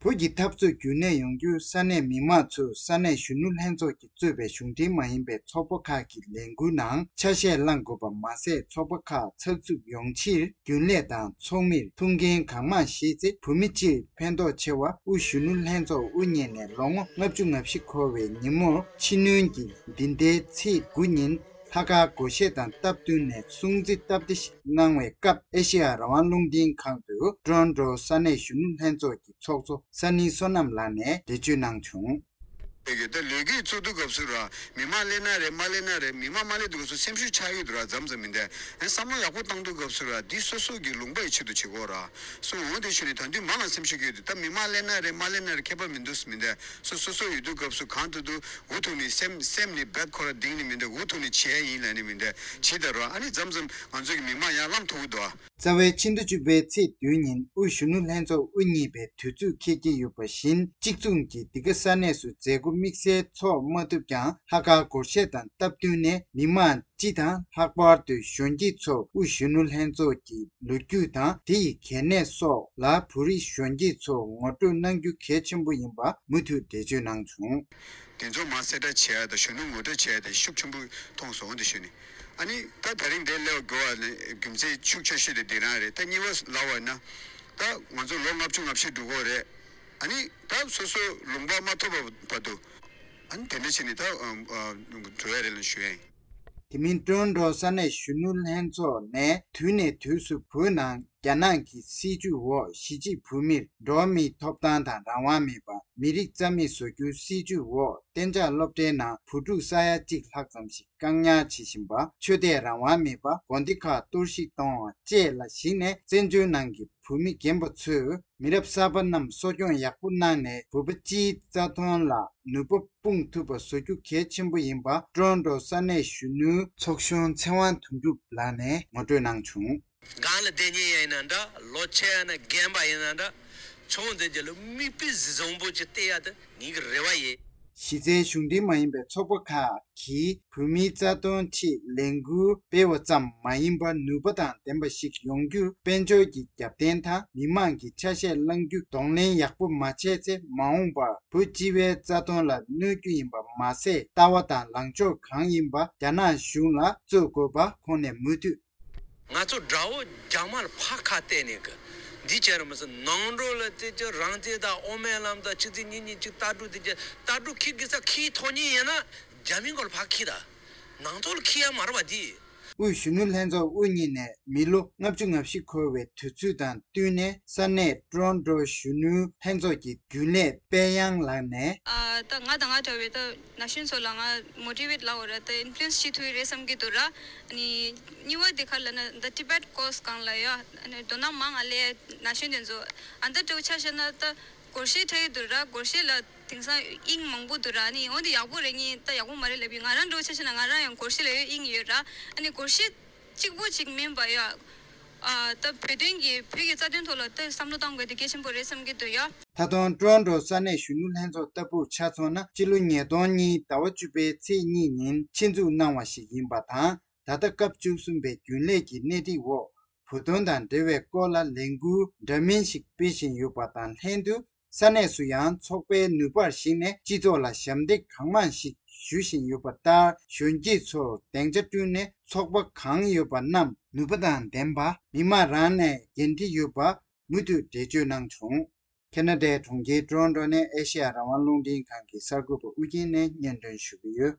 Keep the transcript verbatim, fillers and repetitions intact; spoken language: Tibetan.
བོད་ཀྱི་འཐབ་རྩོད་རྒྱུན་གནས་ཡོང་རྒྱུར་ས་གནས་མི་མང་ཚོས་ས་གནས་གཞོན་ནུ་ལྷན་ཚོགས་ཀྱིས་གཙོས་པའི་གཞུང་འབྲེལ་མ་ཡིན་པའི་ཚོགས་པ་ཁག་གི་ལས་འགུལ་ནང་ཆ་ཤས་བླང་དགོས་པ་མ་ཟད། ཚོགས་པ་ཁག་ཚགས་ཚུད་ཡོང་ཕྱིར་རྒྱུན་ལས་དང་ཚོགས་མིར་ཐུགས་འགན་གང་མང་བཞེས་ཚེ། བོད་མི་སྤྱིར་ཕན་ཐོགས་ཆེ་བ། དབུས་གཞོན་ནུ་ལྷན་ཚོགས་དབུ་བརྙེས་ནས་ལོ་ངོ་ལྔ་བཅུ་ང་བཞི་འཁོར་བའི་ཉིན་མོར་ཕྱི་སྣོན་གྱི་འདི་ཟླའི་ཚེས་དགུ་ཉིན་ལྷག་དཀར་སྒོར་གཞས་དང་སྟབས་བསྟུན་ནས་སྲུང་བརྩི་སྟབས་བདེ་ཞིག་གནང་བའི་སྐབས། ཨེ་ཤེ་ཡ་རང་དབང་རླུང་འཕྲིན་ཁང་དུ་ཀྲོན་ཀྲོ་ས་གནས་གཞོན་ནུ་ལྷན་ཚོགས་ཀྱི་ཚོགས་གཙོ་ས་ནི་བསོད་ནམས་ལགས་ནས་འགྲེལ་བརྗོད་གནང་བྱུང་། ད་ལས་འགུལ་བཙུགས་དུས་སྐབས་སུ་ར། མི་མང་སླེབས་ན་རེད། མ་སླེབས་ན་རེད། མི་མང་མ་སླེབས་དུས་སྐབས་སུ་སེམས་ཤུགས་ཆག་ཡོད་དུ་ར། མཚམས་མཚམས་མི་འདུག་ཨེ་བསམ་བློ་ཡག་པོ་བཏང་དུས་སྐབས་སུ་ར། འདི་སོ་སོ་གི་ལུང་པ་ཡི་ཆེད་དུ་བྱེད་དགོས་ར། སོ་འོང་དེ་ཞུ་ནས་ད་དུང་མང་ང་སེམས་ཤུགས་ཡོད་དུ། ད་མི་མང་སླེབས་ན་རེད། མ་སླེབས་ན་རེད། ཁྱད་པར་མི་འདུག་མི་འདུག་སོ་སོ་སོ་ཡོད་དུས་སྐབས་སུ་གང་ཐུབ་ཐུབ་འུ་ཐུག་ནས་སེམས་སེམས་ནས་རྦད་ཁོ་ར་གདིང་ནས་མི་འདུག་འུ་ཐུག་ནས་བྱས་ཡིན་ལ་ནི་མི་འདུག་བྱེད་ད་ར། ཨ་ནི་མཚམས་མཚམས་ང་ཚོ་གི་མི་མང་ཡར་ལངས་ཐུབ་ཀྱི་འདུག་ཨ། རྩ་བའི་ཕྱི་ཟླ་བཅུ་པའི་ཚེས་བདུན་ཉིན་དབུས་གཞོན་ནུ་ལྷན་ཚོགས་དབུ་བརྙེས་པའི་དུས་ཚོད་འཁེལ་གྱི་ཡོད་པ་བཞིན། གཅིག་མཚུངས་ཀྱིས་འདི་ག་ས་གནས་སུ་མཛད་སྒོ་དམིགས་བསལ་འཚོགས་མ་ཐུབ་ཀྱང་། ལྷག་དཀར་སྒོར་གཞས་དང་སྟབས་བསྟུན་ནས་མི་མང་སྤྱི་དང་། ལྷག་པར་དུ་གཞོན་སྐྱེས་ཚོ་དབུས་གཞོན་ནུ་ལྷན་ཚོགས་ཀྱི་ལོ་རྒྱུས་དང་། དེ་ཡི་གལ་གནད་སོགས་ལ་བོད་རིགས་གཞོན་སྐྱེས་ཚོ་ངོ་སྤྲོད་གནང་རྒྱུ་གལ་ཆེན་པོ་ཡིན་པ་མུ་མཐུད་འགྲེལ་བརྗོད་གནང་བྱུང་། དེ་ཚོ་མར་གསལ་བསྒྲགས་བྱེད་ཡ་དང་། གཞོན་ནུ་ངོ་སྤྲོད་བྱེད་ཡ་དེ་ཤུགས་ཆེན་པོ་མཐོང་སོང་དེ་ཞུས་ནས། ཨ་ནི་ད་དེ་རིང་འདིར་སླེབས་དགོས་པ་ནི་རྒྱུ་མཚན་ཤུགས་ཆེ་ཤོས་དེ་འདི་རང་རེད། ད་གཉིས་པ་ལབ་པ་ན། ད་ང་ཚོ་ལོ་ལྔ་བཅུ་ང་བཞི་འགྲོ་གི་རེད། ཨ་ནི་ད་སོ་སོ་ལུང་པ་མ་ཐོབ་པ་བར་དུ། ཨ་ནི་དེ་འདྲ་བྱས་ནས་ད་འགྲོ་ཡ་རེད་ལབ་ཞུ་ཡ་ཡིན། དེ་མིན་ཀྲོན་ཀྲོ་ས་གནས་གཞོན་ནུ་ལྷན་ཚོགས་ནས་དུས་ནས་དུས་སུ་བོད་ནང་རྒྱ་ནག་གི་སྲིད་བྱུས་འོག་གཞིས་བྱེས་བོད་མིར་འགྲོ་བ་མིའི་ཐོབ་ཐང་དང་རང་དབང་མེད་པ། མི་རིགས་རྩ་མེད་བཟོ་རྒྱུའི་སྲིད་བྱུས་འོག་གཏན་འཇགས་སློབ་གྲྭའི་ནང་བུ་ཕྲུག་ས་ཡ་གཅིག་ལྷག་ཙམ་ཞིག་བཀག་ཉར་བྱེད་བཞིན་པ། ཆོས་དད་རང་དབང་མེད་པ། དགོན་སྡེ་ཁག་གཏོར་བཤིག་གཏོང་བ་བཅས་ལ་གཞིགས་ནས། བཙན་བྱོལ་ནང་གི་བོད་མི་རྒན་པ་ཚོས་མི་རབས་གསར་པ་རྣམས་གསོ་སྐྱོང་ཡག་པོ་གནང་ནས། བོད་པ་སྤྱིའི་རྩ་དོན་ལ་ནུས་པ་སྤུངས་ཐུབ་པ་བཟོ་རྒྱུ་གལ་ཆེན་པོ་ཡིན་པ། ཀྲོན་ཀྲོ་ས་གནས་གཞོན་ནུའི་ཚོགས་གཞོན་ཚེ་དབང་དོན་གྲུབ་ལགས་ནས་ངོ་སྤྲོད་གནང་བྱུང་། སྒང་ལ་བསྡད་མཁན་ཡིན་ན་འདྲ། ལོ་ཆེ་ཡ་ན་རྒན་པ་ཡིན་ན་འདྲ། ཆུང་དེ་རྒྱ་ལ་མིག་དཔེ་བཟང་པོ་ཅིག་བལྟས་ཡ་དེ་ངེད་ཀྱི་རེ་བ་ཡིན། གཞི་རྩའི་གཞུང་འབྲེལ་མ་ཡིན་པའི་ཚོགས་པ་ཁག་གིས་བོད་མིའི་རྩ་དོན་ཆེད་ལས་འགུལ་སྤེལ་བ་ཙམ་མ་ཡིན་པར། ནུས་པ་དང་ལྡན་པ་ཞིག་ཡོང་རྒྱུར་དཔལ་འབྱོར་གྱི་རྒྱབ་རྟེན་དང་། མི་མང་གི་ཆ་ཤས་བླང་རྒྱུ་གདོང་ལེན་ཡག་པོ་མ་བྱས་ཚེ། མ་འོངས་པར་བོད་སྤྱི་པའི་རྩ་དོན་ལ་གནོད་རྒྱུ་ཡིན་པ་མ་ཟད། ལྟ་བ་དང་ལངས་ཕྱོགས་གང་ཡིན་པ་རྒྱ་ནག་གཞུང་ལ་རྩོད་དགོས་པ་ཁོང་ནས་མུ་མཐུད། ང་ཚོ་དགྲ་བོ་རྒྱ་དམར་ཕར་ཁ་གཏད་ནས་གི་འདི་བྱས་ར་མི་སྲིད། ནང་འགྲོ་ལ་དེ་ཅི་རང་བཙན་དང་དབུ་མའི་ལམ་དང་ཆི་ཚི་ཉི་ཉི་ཅིག་ལྟ་གྲུ་དེ་ཅི་ལྟ་གྲུ་ཁྱི་གི་ས་ཁྱི་ཐོག་ཉིད་ཡིན་ན་རྒྱ་མི་གོ་ལ་ཕར་ཁྱི་ད་ནང་ཐོག་ལ་ཁྱི་ཡ་མ་ར་བ་དེ། དབུས་གཞོན་ནུ་ལྷན་ཚོགས་དབུ་བརྙེས་ནས་མི་ལོ་ལྔ་བཅུ་ང་བཞི་འཁོར་བའི་དུས་ཚོད་དང་བསྟུན་ནས། ས་གནས་ཀྲོན་ཀྲོ་གཞོན་ནུ་ལྷན་ཚོགས་ཀྱི་རྒྱུན་ལས་དཔལ་དབྱངས་ལགས་ནས། ཨ་ད་ང་དང་ང་འདྲ་བའི་ད་ན་གཞོན་ཚོ་ལ་ང་མོ་ཊི་ཝེ་ཊི་ལབ་དགོས་ར། ད་ཨིན་ཕུ་ལུ་ཨེན་སི་བྱེད་ཐུབ་ཀྱི་རེད་བསམ་གྱི་འདུག་ར། ཨ་ནི་གཉིས་པ་དེ་ག་ལབ་ན་ད་ཊི་བེ་ཊི་ཀོར་སི་སྒང་ལ་ཡ། ཨ་ནི་དོ་སྣང་མང་ང་སླེབས་ན་གཞོན་དེ་ཚོ། ཨ་ད་འདྲ་བོ་ཆ་བཞག་ན་ད་སྒོར་གཞས་འཁྲབ་ཀྱི་འདུག་ར། སྒོར་གཞས་ལ་དེང་སང་དབྱིངས་མང་པོ་འདུག་ར། ཨ་ནི་འོ་འདི་ཡག་པོ་རེད། ངས་ད་ཡག་པོ་མ་རེད་ལབ་ཡིན། ང་རང་འདྲ་བོ་ཆ་བཞག་ན་ང་རང་ཡང་སྒོར་གཞས་ལ་ཡོད་དབྱིངས་ཡོད་ར། ཨ་ནི་སྒོར་གཞས་གཅིག་པོ་གཅིག་མིན་པ་ཡ། ཨ་ད་བོད་དོན་གྱི་བོད་ཀྱི་རྩ་དོན་ཐོག་ལ་ད་བསམ་བློ་གཏང་དགོས་དེ་གལ་ཆེན་པོ་རེད་བསམ་གྱི་འདུག་ཡ། ད་དུང་ཀྲོན་ཀྲོ་ས་གནས་གཞོན་ནུ་ལྷན་ཚོགས་ལྟ་བུར་ཆ་མཚོན་ན། སྤྱི་ལོ་ཉིས་སྟོང་གཉིས་ཟླ་བ་བཅུ་པའི་ཚེས་གཉིས་ཉིན་ཆེད་འཛུགས་གནང་བ་ཞིག་ཡིན་པ་དང་། ད་ལྟ་སྐབས་བཅུ་གསུམ་པའི་རྒྱུན་ལས་ཀྱི་སྣེ་ཁྲིད་འོག་བོད་དོན་དང་འབྲེལ་བའི་སྐོར་ལ་ལས་འགུལ་འདྲ་མིན་ཞིག་སྤེལ་བཞིན་ཡོད་པ་དང་ལྷན་དུ། ས་གནས་སུ་ཡང་ཚོགས་པའི་ནུས་པར་གཞིགས་ནས་སྤྱི་ཚོགས་ལ་ཞབས་འདེགས་གང་མང་ཞིག་ཞུ་བཞིན་ཡོད་པ་ལྟར། གཞོན་སྐྱེས་ཚོར་སྡིངས་ཆ་བསྐྲུན་ནས། ཚོགས་པ་གང་ཡོད་པ་རྣམས་ནུས་པ་དང་ལྡན་པ། མི་མང་རང་ནས་འགན་འཁྲི་ཡོད་པ་མུ་མཐུད་འགྲེལ་བརྗོད་གནང་བྱུང་། ཁེ་ན་ཌའི་གྲོང་ཁྱེར་ཀྲོན་ཀྲོ་ནས་ཨེ་ཤེ་ཡ་རང་དབང་རླུང་འཕྲིན་ཁང་གི་གསར་འགོད་པ་ཨུ་རྒྱན་ནས་སྙན་སྒྲོན་ཞུ་གི་ཡོད།